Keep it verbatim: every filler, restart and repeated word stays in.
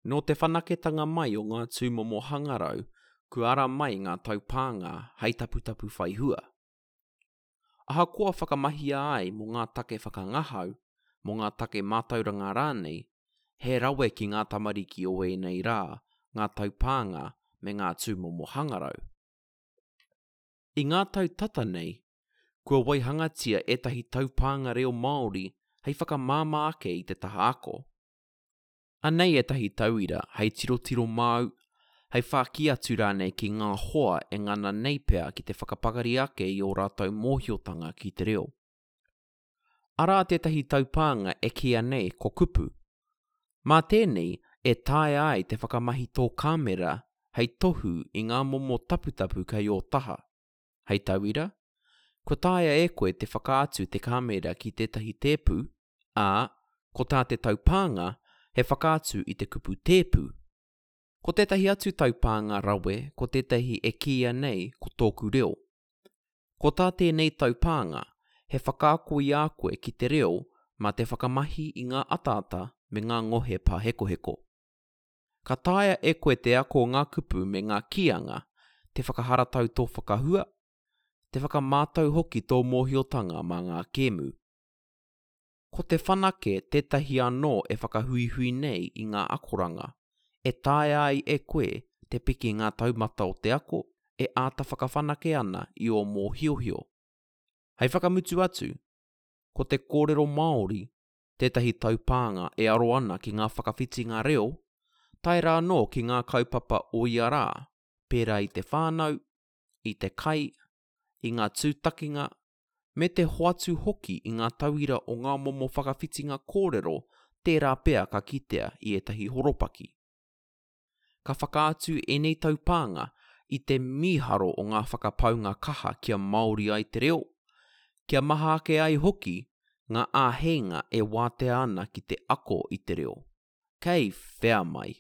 Nō te whanaketanga mai o ngā tūmomo hangarau, kua ara mai ngā taupānga hei taputapu whai hua. Ahakoa whakamahia ai mō ngā take whakangahau, mō ngā take mātauranga rānei, he rawe ki ngā tamariki o ēnei rā ngā taupānga me ngā tūmomo hangarau. I ngā tau tata nei, kua waihangatia ētahi taupānga reo Māori hei whakamāmā ake i te taha ako. Anei ētahi tauira hei tirotiro māu, hei whāki atu rānei ki ngā hoa e ngana nei pea ki te whakapakari ake i ō rātou mōhiotanga ki te reo. Arā tētahi taupānga e kīia nei ko Kupu. Mā tēnei e taea ai te whakamahi tō kāmera hei tohu i ngā momo taputapu kei ō taha. Hei tauira, kua taea e koe te whakaatu te kāmera ki tētahi tēpu, ā, ko tā te taupānga he whakaatu i te kupu tēpu. Ko tētahi atu taupānga rawe ko tētahi e kīia nei ko Tōku Reo. Ko tā tēnei taupānga he whakaako i a koe ki te reo mā te whakamahi i ngā ataata me ngā ngohe pāhekoheko. Ka taea e koe te ako ngā kupu me ngā kīanga, te whakaharatau tō whakahua, te whakamātau hoki tō mōhiotanga mā ngā kēmu. Ko Te Whanake tētahi anō e whakahuihui nei i ngā akoranga, e taea ai e koe te piki ngā taumata o te ako e āta whakawhanake ana i ō mōhiohio. Hei whakamutu atu, ko te kōrero Māori tētahi taupānga e aro ana ki ngā whakawhitinga reo, tae rā anō ki ngā kaupapa o ia rā, pērā i te whānau, i te kai, i ngā tūtakinga, me te hoatu hoki i ngā tauira o ngā momo whakawhitinga kōrero tērā pea ka kitea i ētahi horopaki. Ka whakaatu ēnei taupānga i te mīharo o ngā whakapaunga kaha kia Māori ai te reo, kia maha ake ai hoki ngā āheinga e wātea ana ki te ako i te reo. Kei whea mai!